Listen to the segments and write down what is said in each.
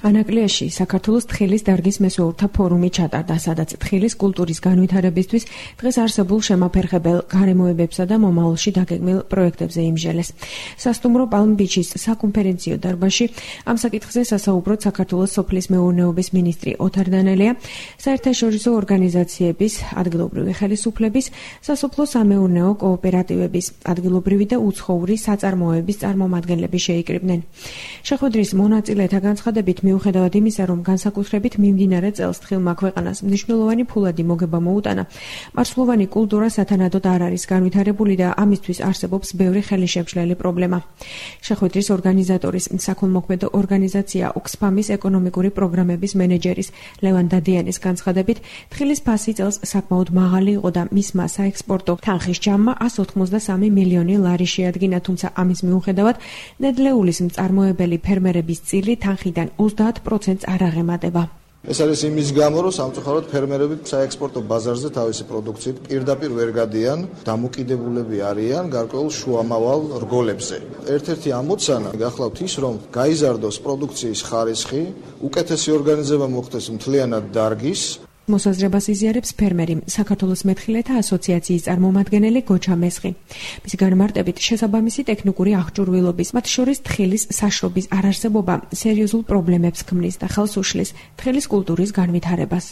ანაკლიაში საქართველოს თხილის დარგის მესვეურთა ფორუმი ჩატარდა, სადაც თხილის კულტურის განვითარებისთვის დღეს არსებულ შემაფერხებელ გარემოებებსა და მომავალში დაგეგმილ პროექტებზე იმჟელეს. სასტუმრო Palm Beach-ის საკონფერენციო დარბაზში ამ საკითხზე სასაუბროდ საქართველოს სოფლის მეურნეობის მინისტრი ოთარ დანელია, საერთაშორისო ორგანიზაციების, ადგილობრივი ხელისუფლების, სასოფლო-სამეურნეო კოოპერატივების, ადგილობრივი და უცხოური საწარმოების წარმომადგენლები შეიკრიბნენ. შეხვედრის მონაწილეთა განცხადებით მიუხედავად იმისა, რომ განსაკუთრებით მიმდინარე წელს თხილმა ქვეყანას მნიშვნელოვანი ფულადი მოგება მოუტანა, მარცვლოვანი კულტურა სათანადოდ არ არის განვითარებული და ამისთვის არსებობს ბევრი ხელისშემშლელი პრობლემა. შეხვედრის ორგანიზატორის საქველმოქმედო ორგანიზაცია Oxfam-ის ეკონომიკური პროგრამების მენეჯერის ლევან დადიანის განცხადებით, თხილის ფასი წელს საკმაოდ მაღალი იყო და მისმა საექსპორტო თანხის ჯამმა 183 მილიონი ლარი შეადგინა, თუმცა ამის მიუხედავად ნედლეულის მწარმოებელი ფერმერების წილი თანხიდან 30%-ს არ აღემატება. ეს არის იმის გამო, რომ სამწუხაროდ ფერმერები საექსპორტო ბაზარზე თავისი პროდუქციით პირდაპირ ვერ გადიან, დამოკიდებულები არიან გარკვეულ შუამავალ რგოლებზე. ერთ-ერთი ამოცანა გახლავთ ის, რომ გაიზარდოს პროდუქციის ხარისხი, უკეთესი ორგანიზება მოხდეს მთლიანად დარგის. მოსაზრებას იზიარებს ფერმერი, საქართველოს მეთხილეთა ასოციაციის წარმომადგენელი გოჩა მესხი. მისი განმარტებით, შესაბამისი ტექნიკური აღჭურვილობის, მათ შორის თხილის საშრობის არარსებობა სერიოზულ პრობლემებს ქმნის და ხელს უშლის თხილის კულტურის განვითარებას.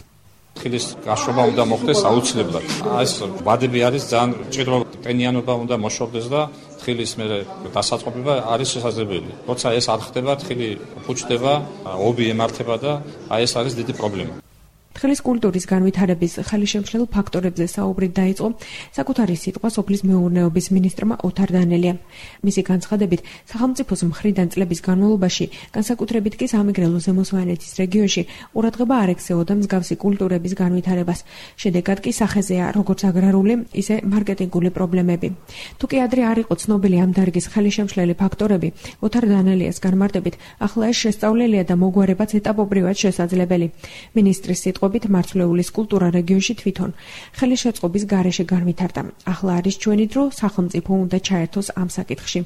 თხილის გაშრობა უნდა მოხდეს აუცილებლად. ეს ვადები არის ძალიან მჭიდრო, ტენიანობა უნდა მოშორდეს და თხილის დასაწყობება არის შესაძლებელი. როცა ეს არ ხდება, თხილი ფუჭდება, ობი ემართება და ეს არის დიდი პრობლემა. თხილის კულტურის განვითარების ხელისშემშლელ ფაქტორებზე საუბრით დაიწყო საკუთარი სიტყვა სოფლის მეურნეობის მინისტრმა ოთარ დანელიამ. მისი განცხადებით, სახელმწიფოს მხრიდან წლების განმავლობაში, განსაკუთრებით კი სამეგრელო ზემო რეგიონში, ყურადღება არ ექცეოდა მსგავსი კულტურების განვითარებას. შედეგად კი სახეზეა როგორც აგრარული, ისე მარკეტინგული პრობლემები. თუკი ადრე არ იყო ცნობილი ამ დარგის ხელისშემშლელი ფაქტორები, ოთარ დანელიას განმარტებით, ახლა ეს შესწავლელია და მოგვარებაც ეტაპობრივად შესაძლებელი. მინისტრის სიტყვებით მარცვლეულის კულტურა რეგიონში თვითონ ხელისშეწყობის გარეშე განვითარდა. ახლა არის ჩვენი დრო, სახელმწიფო უნდა ჩაერთოს ამ საკითხში.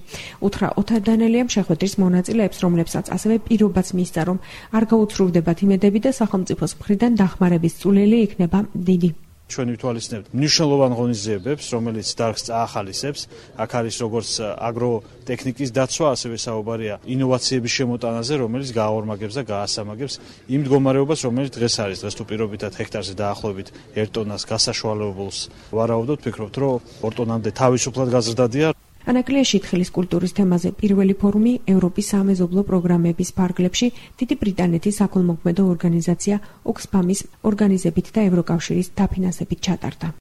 უთხრა ოთარ დანელიამ შეხვედრის მონაწილეებს, რომლებსაც ასევე პირობაც მისცა, რომ არ გაუცრუვდებათ იმედები და სახელმწიფოს მხრიდან დახმარების წვლილი იქნება დიდი. ჩვენ ვითვალისწინებთ მნიშვნელოვან ღონისძიებებს, რომელიც დარგს წაახალისებს. აქ არის როგორც აგროტექნიკის დაცვა, ასევე საუბარია ინოვაციების შემოტანაზე, რომელიც გააორმაგებს და გაასამაგებს იმ მდგომარეობას, რომელიც დღეს არის. დღეს თუ პირობითად ჰექტარზე დაახლოებით 1 ტონას გასაშუალებულს ვარაუდობთ, ვფიქრობთ, რომ 2 ტონამდე თავისუფლად გაზრდადია. ანაკლიაში თხილის კულტურის თემაზე პირველი ფორუმი ევროპის სამეზობლო პროგრამების ფარგლებში დიდი ბრიტანეთის საქველმოქმედო ორგანიზაცია Oxfam-ის ორგანიზებით და ევროკავშირის დაფინანსებით ჩატარდა.